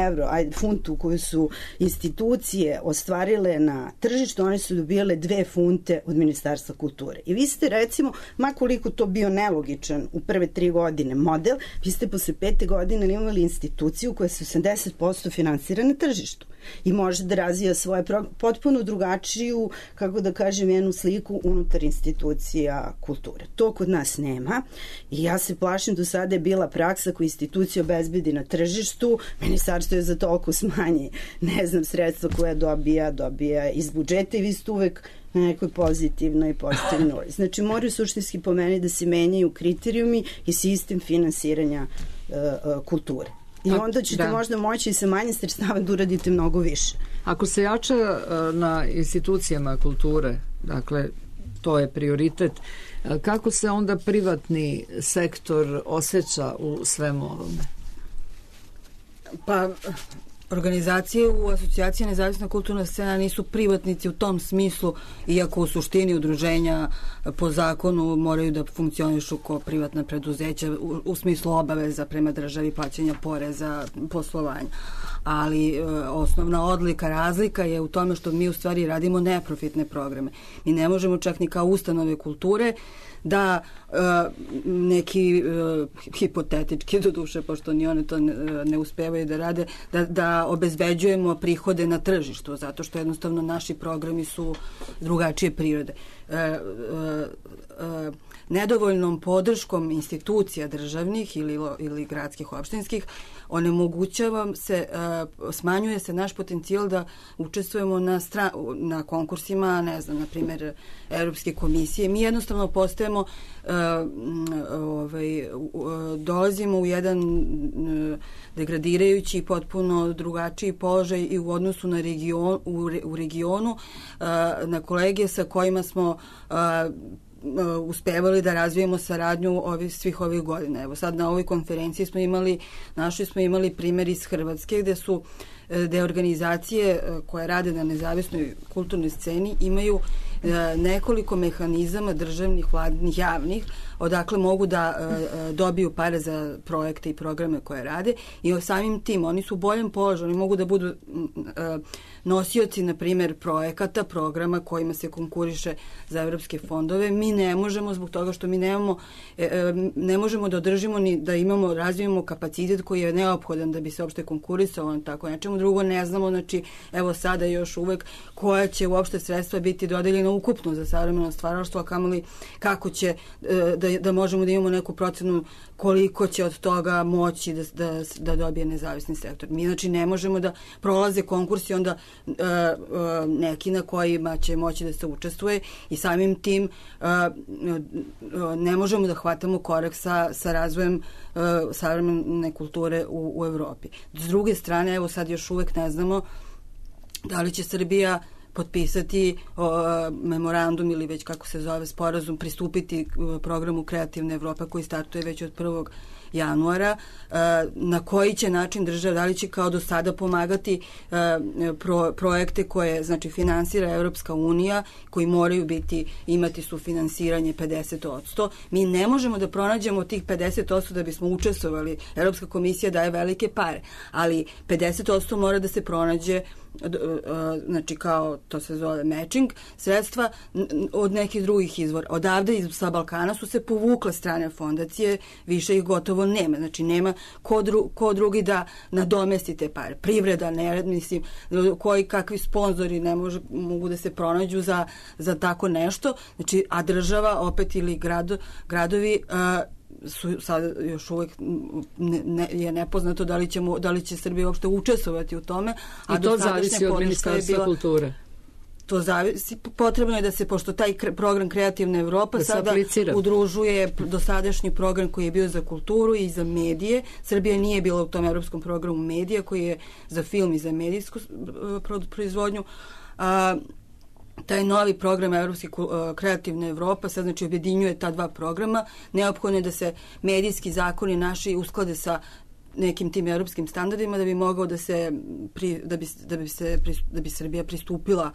funtu koji su institucije ostvarile na tržištu, one su dobijale 2 funte od Ministarstva kulture. I vi ste, recimo, ma koliko to bio nelogičan u prve 3 godine model, vi ste posle 5. godine imali instituciju koja se 80% finansira na tržištu i može da razvija svoje potpuno drugačiju, kako da kažem, jednu sliku unutar institucija kulture. To kod nas nema i ja se plašim, do sada je bila praksa koju institucija obezbedi na tržištu, ministarstvo je za toliko smanji, ne znam, sredstva koja dobija iz budžeta i vi ste uvek na nekoj pozitivnoj nuli. Znači, moraju suštinski po meni da se menjaju kriterijumi i sistem finansiranja kulture. I onda ćete možda moći i sa manje sredstava da uradite mnogo više. Ako se jača na institucijama kulture, dakle, to je prioritet, kako se onda privatni sektor osjeća u svemu ovome? Pa, organizacije u asocijaciji Nezavisna kulturna scena nisu privatnici u tom smislu, iako u suštini udruženja po zakonu moraju da funkcionišu kao privatna preduzeća u smislu obaveza prema državi, plaćanja poreza, poslovanja. Ali osnovna razlika je u tome što mi u stvari radimo neprofitne programe. Mi ne možemo čak ni kao ustanove kulture da neki hipotetički, do duše, pošto ni one to ne uspevaju da rade, da obezbeđujemo prihode na tržištu, zato što jednostavno naši programi su drugačije prirode. Nedovoljnom podrškom institucija državnih ili gradskih, opštinskih, smanjuje se naš potencijal da učestvujemo na konkursima, ne znam, na primjer, Evropske komisije. Mi jednostavno postajemo, dolazimo u jedan degradirajući, potpuno drugačiji položaj i u odnosu u regionu na kolege sa kojima smo uspevali da razvijemo saradnju svih ovih godina. Evo sad na ovoj konferenciji smo imali primjer iz Hrvatske gde organizacije koje rade na nezavisnoj kulturnoj sceni imaju nekoliko mehanizama državnih, vladnih, javnih, odakle mogu da dobiju pare za projekte i programe koje rade i samim tim oni su u boljem položaju, oni mogu da budu nosioci, na primjer, projekata, programa kojima se konkuriše za evropske fondove. Mi ne možemo, zbog toga što mi ne možemo da održimo ni da razvijemo kapacitet koji je neophodan da bi se uopšte konkurisalo na tako nečemu. Drugo, ne znamo, znači, evo sada još uvek koja će uopšte sredstva biti dodeljena ukupno za savremeno stvaralaštvo, a kamoli kako će da možemo da imamo neku procenu koliko će od toga moći da dobije nezavisni sektor. Mi, znači, ne možemo da prolaze konkursi onda neki na kojima će moći da se učestvuje i samim tim ne možemo da hvatamo korak sa razvojem savremene kulture u Evropi. S druge strane, evo sad još uvek ne znamo da li će Srbija potpisati memorandum ili već kako se zove sporazum, pristupiti programu Kreativne Evrope koji startuje već od 1. januara, na koji će način država, da li će kao do sada pomagati projekte koje, znači, finansira Evropska unija, koji moraju imati sufinansiranje 50%. Mi ne možemo da pronađemo tih 50% da bismo učestvovali. Evropska komisija daje velike pare, ali 50% mora da se pronađe, znači, kao to se zove matching, sredstva od nekih drugih izvora. Odavde sa Balkana su se povukle strane fondacije, više ih gotovo nema. Znači, nema ko drugi da nadomesti te pare. Privreda, ne, mislim, kakvi sponzori mogu da se pronađu za tako nešto. Znači, a država opet ili gradovi su sad još uvijek je nepoznato da li će Srbija uopšte učestvovati u tome. I to zavisi od Ministarstva kulture. To zavisi, potrebno je da se, pošto taj program Kreativna Evropa sada udružuje dosadašnji program koji je bio za kulturu i za medije. Srbija nije bila u tom evropskom programu medija koji je za film i za medijsku proizvodnju. Taj novi program Evropske Kreativne Evropa sad, znači, objedinjuje ta dva programa. Neophodno je da se medijski zakoni naši usklade sa nekim tim evropskim standardima da bi mogao da bi Srbija pristupila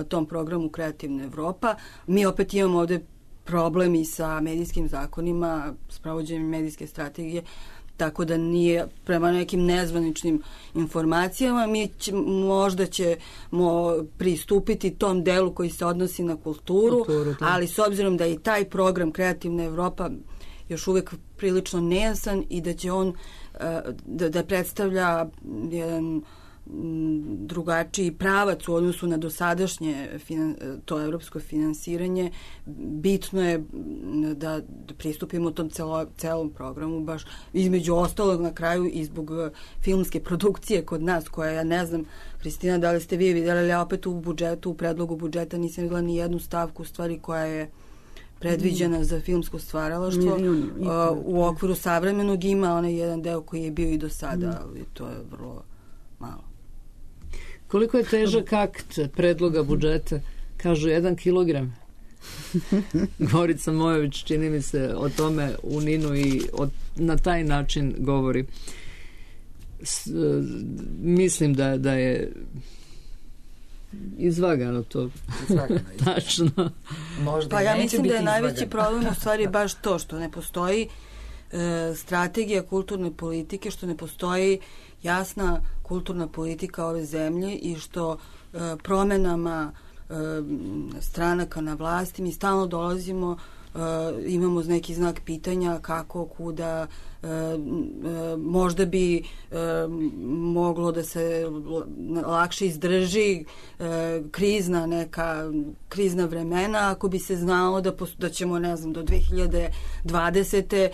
tom programu Kreativna Evropa. Mi opet imamo ovde problemi sa medijskim zakonima, s pravođenjem medijske strategije, tako da nije, prema nekim nezvaničnim informacijama, možda ćemo pristupiti tom delu koji se odnosi na kulturu, ali s obzirom da je i taj program Kreativna Evropa još uvek prilično nejasan i da će on da predstavlja jedan drugačiji pravac u odnosu na dosadašnje to evropsko finansiranje, bitno je da pristupimo tom celom programu, baš između ostalog na kraju i zbog filmske produkcije kod nas, koja, ja ne znam, Hristina, da li ste vi vidjeli, ali ja opet u predlogu budžeta nisam vidjela ni jednu stavku, u stvari, koja je predviđena za filmsko stvaralaštvo. U okviru savremenog ima onaj jedan deo koji je bio i do sada, ali to je vrlo malo. Koliko je težak akt predloga budžeta? Kažu 1 kilogram. Gorica Mojović, čini mi se, o tome u Ninu i na taj način govori. Mislim da je izvagano to. Tačno. Pa ja mislim da je najveći problem u stvari baš to što ne postoji strategija kulturne politike, što ne postoji jasna kulturna politika ove zemlje i što promenama stranaka na vlasti mi stalno dolazimo, imamo neki znak pitanja kako, kuda, možda bi moglo da se lakše izdrži krizna vremena ako bi se znalo da ćemo, ne znam, do 2020.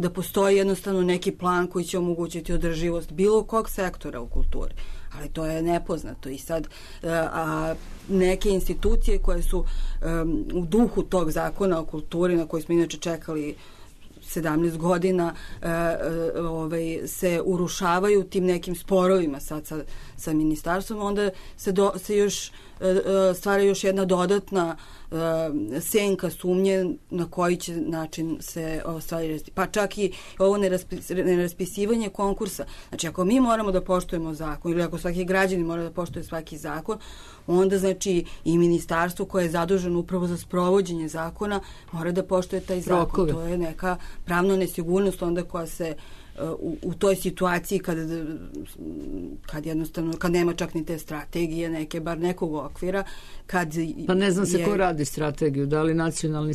Da postoji jednostavno neki plan koji će omogućiti održivost bilo kog sektora u kulturi. Ali to je nepoznato i sad neke institucije koje su u duhu tog zakona o kulturi na koji smo inače čekali 17 godina se urušavaju tim nekim sporovima sad sa ministarstvom, onda se još stvara još jedna dodatna senka sumnje na koji će način se ostvariti. Pa čak i ovo neraspisivanje konkursa. Znači, ako mi moramo da poštujemo zakon ili ako svaki građanin mora da poštuje svaki zakon, onda znači i ministarstvo koje je zaduženo upravo za sprovođenje zakona mora da poštuje taj zakon. To je neka pravna nesigurnost onda koja se u toj situaciji kad jednostavno, kad nema čak ni te strategije, neke, bar nekog okvira, pa ne znam se ko radi strategiju, da li nacionalni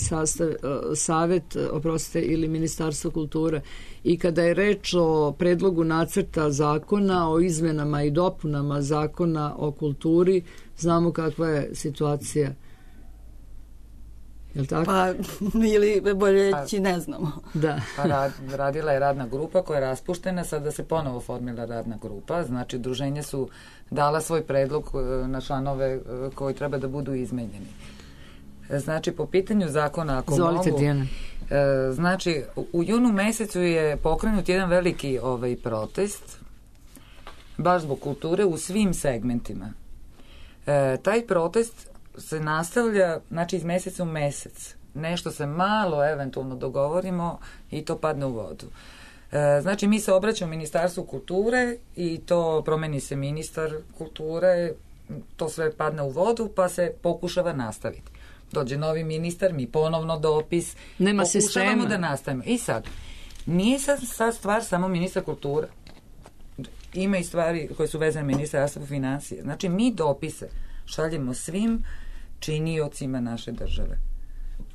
savet, oprostite, ili Ministarstvo kulture. I kada je reč o predlogu nacrta zakona o izmenama i dopunama zakona o kulturi, znamo kakva je situacija. Jel tako? Pa, ili bolje reći, ne znamo. Da. Pa radila je radna grupa koja je raspuštena, sada se ponovo formila radna grupa, znači udruženja su dala svoj predlog na članove koji treba da budu izmenjeni. Znači, po pitanju zakona, ako Zvolite, Dijana. Znači, u junu mesecu je pokrenut jedan veliki protest, baš zbog kulture u svim segmentima. Taj protest se nastavlja, znači, iz meseca u mesec. Nešto se malo eventualno dogovorimo i to padne u vodu. Znači, mi se obraćamo Ministarstvu kulture i to promeni se ministar kulture, to sve padne u vodu, pa se pokušava nastaviti. Dođe novi ministar, mi ponovno dopis, nema pokušavamo sistema da nastavimo. I sad, nije sad stvar samo ministra kulture. Ima i stvari koje su vezane Ministarstvo financije. Znači, mi dopise šaljemo svim činiocima naše države.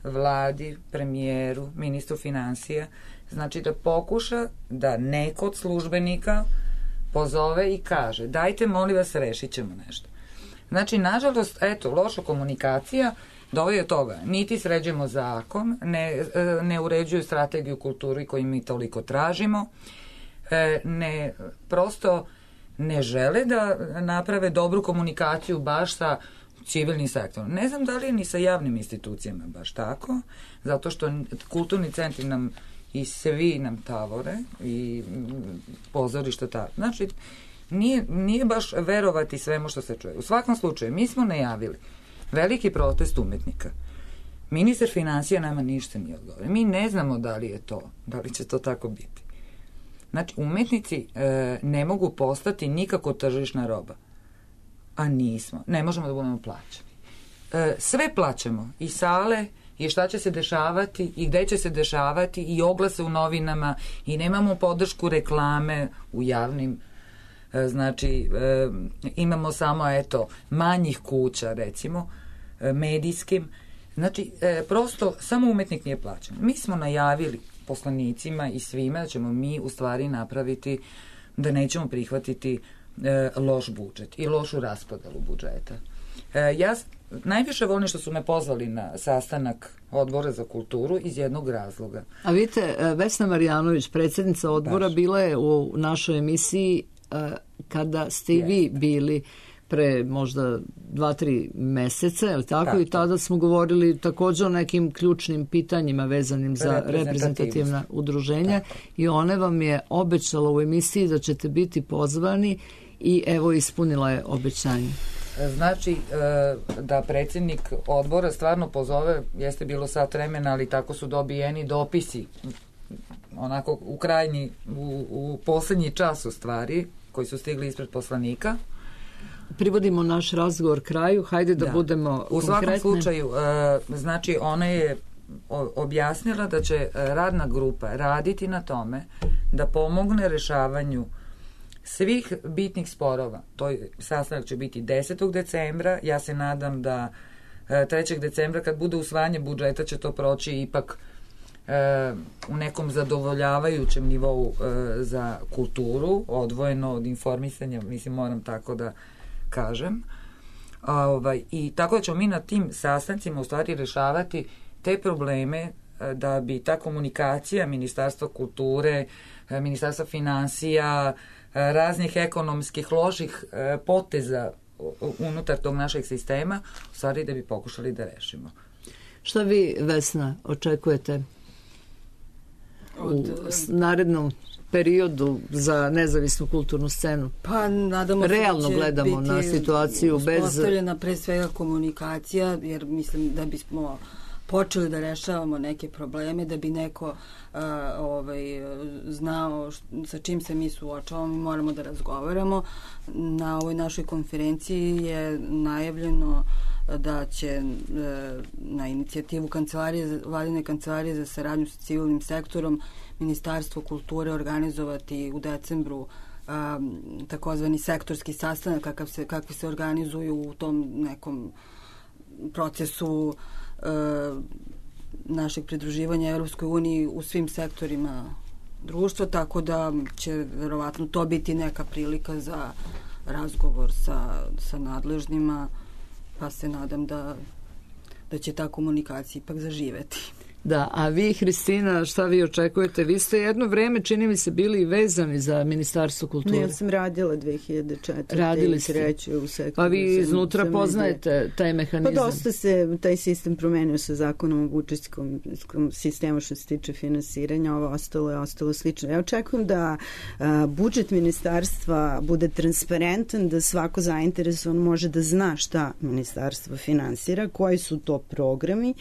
Vladi, premijeru, ministru financija. Znači, da pokuša da neko od službenika pozove i kaže, dajte, molim vas, rešit ćemo nešto. Znači, nažalost, eto, loša komunikacija dovodi od toga. Niti sređujemo zakon, ne uređuju strategiju kulturi koju mi toliko tražimo, prosto ne žele da naprave dobru komunikaciju baš sa civilnim sektorom. Ne znam da li je ni sa javnim institucijama baš tako, zato što kulturni centri nam i svi nam tavore i pozorišta tavore. Znači, nije baš verovati svemu što se čuje. U svakom slučaju, mi smo najavili veliki protest umetnika. Ministar financija nama ništa nije odgovorio. Mi ne znamo da li je to, da li će to tako biti. Znači, umetnici ne mogu postati nikako tržišna roba. A nismo. Ne možemo da budemo plaćani. Sve plaćamo. I sale, i šta će se dešavati, i gde će se dešavati, i oglase u novinama, i nemamo podršku reklame u javnim. Znači, imamo samo, eto, manjih kuća, recimo, medijskim. Znači, prosto, samo umetnik nije plaćen. Mi smo najavili poslanicima i svima da ćemo mi u stvari napraviti, da nećemo prihvatiti loš budžet i lošu raspodelu budžeta. Ja najviše volim što su me pozvali na sastanak Odbora za kulturu iz jednog razloga. A vidite, Vesna Marjanović, predsjednica odbora, bila je u našoj emisiji kada ste i vi bili pre možda 2-3 meseca, je li tako? I tada smo govorili također o nekim ključnim pitanjima vezanim za reprezentativna udruženja i ona vam je obećala u emisiji da ćete biti pozvani i evo ispunila je obećanje. Znači, da predsjednik odbora stvarno pozove, jeste bilo sat vremena, ali tako su dobijeni dopisi, onako u krajnji, u poslednji čas u stvari, koji su stigli ispred poslanika. Privodimo naš razgovor kraju, hajde da budemo konkretni. U svakom slučaju, znači ona je objasnila da će radna grupa raditi na tome da pomogne rešavanju svih bitnih sporova. To sastanak će biti 10. decembra, ja se nadam da 3. decembra kad bude usvajanje budžeta će to proći ipak u nekom zadovoljavajućem nivou za kulturu, odvojeno od informisanja, mislim moram tako da kažem. I tako da ćemo mi na tim sastancima u stvari rešavati te probleme da bi ta komunikacija Ministarstva kulture, Ministarstva financija, raznih ekonomskih loših poteza unutar tog našeg sistema, u stvari da bi pokušali da rešimo. Šta vi, Vesna, očekujete u narednom periodu za nezavisnu kulturnu scenu? Pa nadamo se realno gledamo na situaciju bez... Uspostavljena pre svega komunikacija, jer mislim da bismo počeli da rešavamo neke probleme, da bi neko znao sa čim se mi suočavamo, mi moramo da razgovaramo. Na ovoj našoj konferenciji je najavljeno da će na inicijativu Vladine kancelarije za saradnju sa civilnim sektorom Ministarstvo kulture organizovati u decembru takozvani sektorski sastanak kakvi se organizuju u tom nekom procesu našeg pridruživanja Evropskoj uniji u svim sektorima društva, tako da će verovatno to biti neka prilika za razgovor sa nadležnima, pa se nadam da će ta komunikacija ipak zaživeti. Da, a vi, Hristina, šta vi očekujete? Vi ste jedno vreme, čini mi se, bili vezani za Ministarstvo kulture. Ne, ja sam radila 2004. Radili ste. U sektoru. Pa vi iznutra poznajete taj mehanizam. Pa dosta se taj sistem promenio sa zakonom o budžetskom sistemu što se tiče finansiranja, ovo ostalo slično. Ja očekujem da budžet ministarstva bude transparentan, da svako zainteresovan može da zna šta ministarstvo finansira, koji su to programi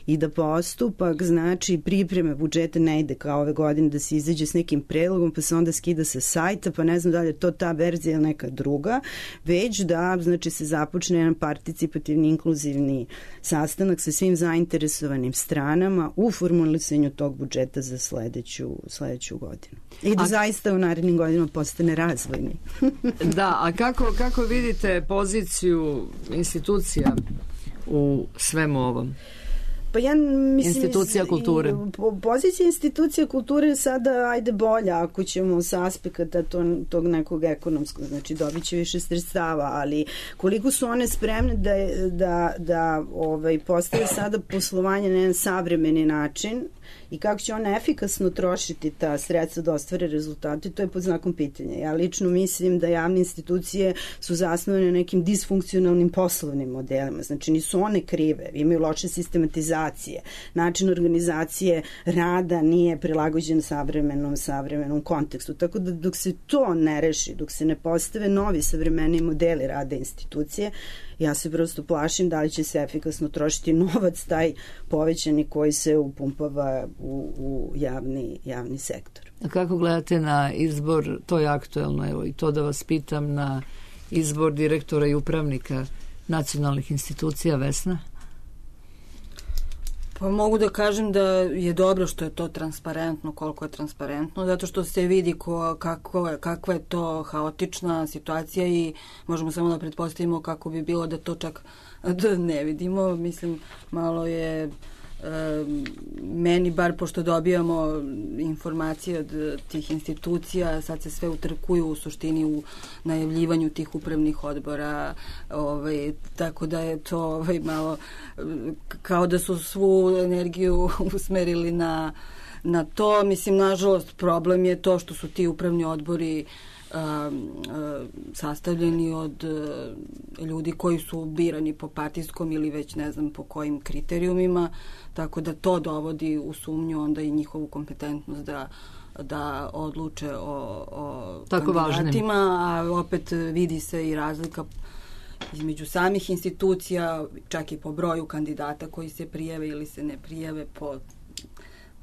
i da postupak znači pripreme budžeta ne ide kao ove godine da se izađe s nekim predlogom pa se onda skida sa sajta pa ne znam da li je to ta verzija ili neka druga, već da znači se započne jedan participativni inkluzivni sastanak sa svim zainteresovanim stranama u formulisanju tog budžeta za sledeću godinu. I da zaista u narednim godinama postane razvojni. Da, a kako vidite poziciju institucija u svemu ovom? Pa ja mislim, institucija kulture. Pozicija institucija kulture je sada ajde bolja ako ćemo sa aspekata tog nekog ekonomskog, znači dobit će više sredstava, ali koliko su one spremne da postave sada poslovanje na jedan savremeni način i kako će one efikasno trošiti ta sredstva da ostvare rezultate, to je pod znakom pitanja. Ja lično mislim da javne institucije su zasnovane na nekim disfunkcionalnim poslovnim modelima, znači nisu one krive, imaju loše sistematizacije, način organizacije rada nije prilagođen savremenom kontekstu, tako da dok se to ne reši, dok se ne postave novi savremeni modeli rada institucije, ja se prosto plašim da li će se efikasno trošiti novac taj povećani koji se upumpava u javni sektor. A kako gledate na izbor, to je aktuelno, evo i to da vas pitam, na izbor direktora i upravnika nacionalnih institucija, Vesna? Pa mogu da kažem da je dobro što je to transparentno, koliko je transparentno, zato što se vidi kakva je to haotična situacija i možemo samo da pretpostavimo kako bi bilo da to čak da ne vidimo. Mislim, malo je meni, bar pošto dobijamo informacije od tih institucija, sad se sve utrkuju u suštini u najavljivanju tih upravnih odbora, tako da je to malo kao da su svu energiju usmerili na to. Mislim, nažalost, problem je to što su ti upravni odbori sastavljeni od ljudi koji su birani po partijskom ili već ne znam po kojim kriterijumima, tako da to dovodi u sumnju onda i njihovu kompetentnost da odluče o kandidatima, a opet vidi se i razlika između samih institucija, čak i po broju kandidata koji se prijave ili se ne prijave, po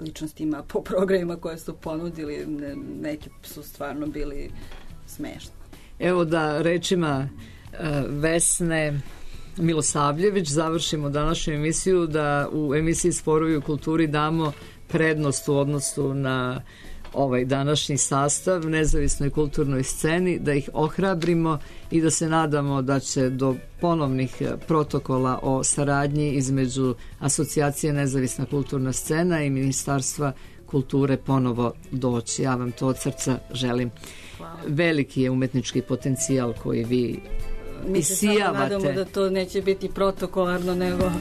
ličnostima, po programima koje su ponudili, neki su stvarno bili smešni. Evo da rečima Vesne Milosavljević završimo današnju emisiju, da u emisiji Sporovi u kulturi damo prednost u odnosu na ovaj današnji sastav nezavisnoj kulturnoj sceni, da ih ohrabrimo i da se nadamo da će do ponovnih protokola o saradnji između Asocijacije Nezavisna kulturna scena i Ministarstva kulture ponovo doći. Ja vam to od srca želim. Hvala. Veliki je umetnički potencijal koji vi Mi se samo nadamo da to neće biti protokolarno, nego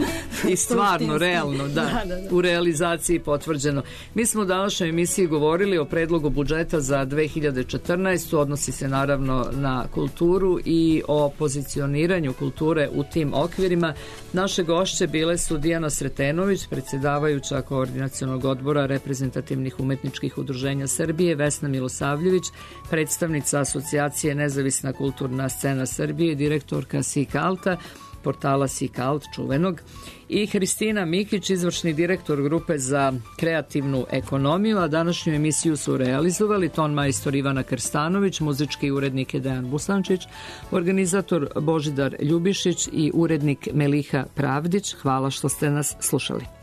i stvarno, realno, da, u realizaciji potvrđeno. Mi smo u današnjoj emisiji govorili o predlogu budžeta za 2014. Odnosi se naravno na kulturu i o pozicioniranju kulture u tim okvirima. Naše gošće bile su Dijana Sretenović, predsjedavajuća Koordinacionog odbora reprezentativnih umetničkih udruženja Srbije, Vesna Milosavljević, predstavnica Asocijacije Nezavisna kulturna scena Srbije, direktorka SIK-ALTA, portala SIK-ALT čuvenog, i Hristina Mikić, izvršni direktor grupe za kreativnu ekonomiju, a današnju emisiju su realizovali ton majstor Ivana Krstanović, muzički urednik je Dejan Busančić, organizator Božidar Ljubišić i urednik Meliha Pravdić. Hvala što ste nas slušali.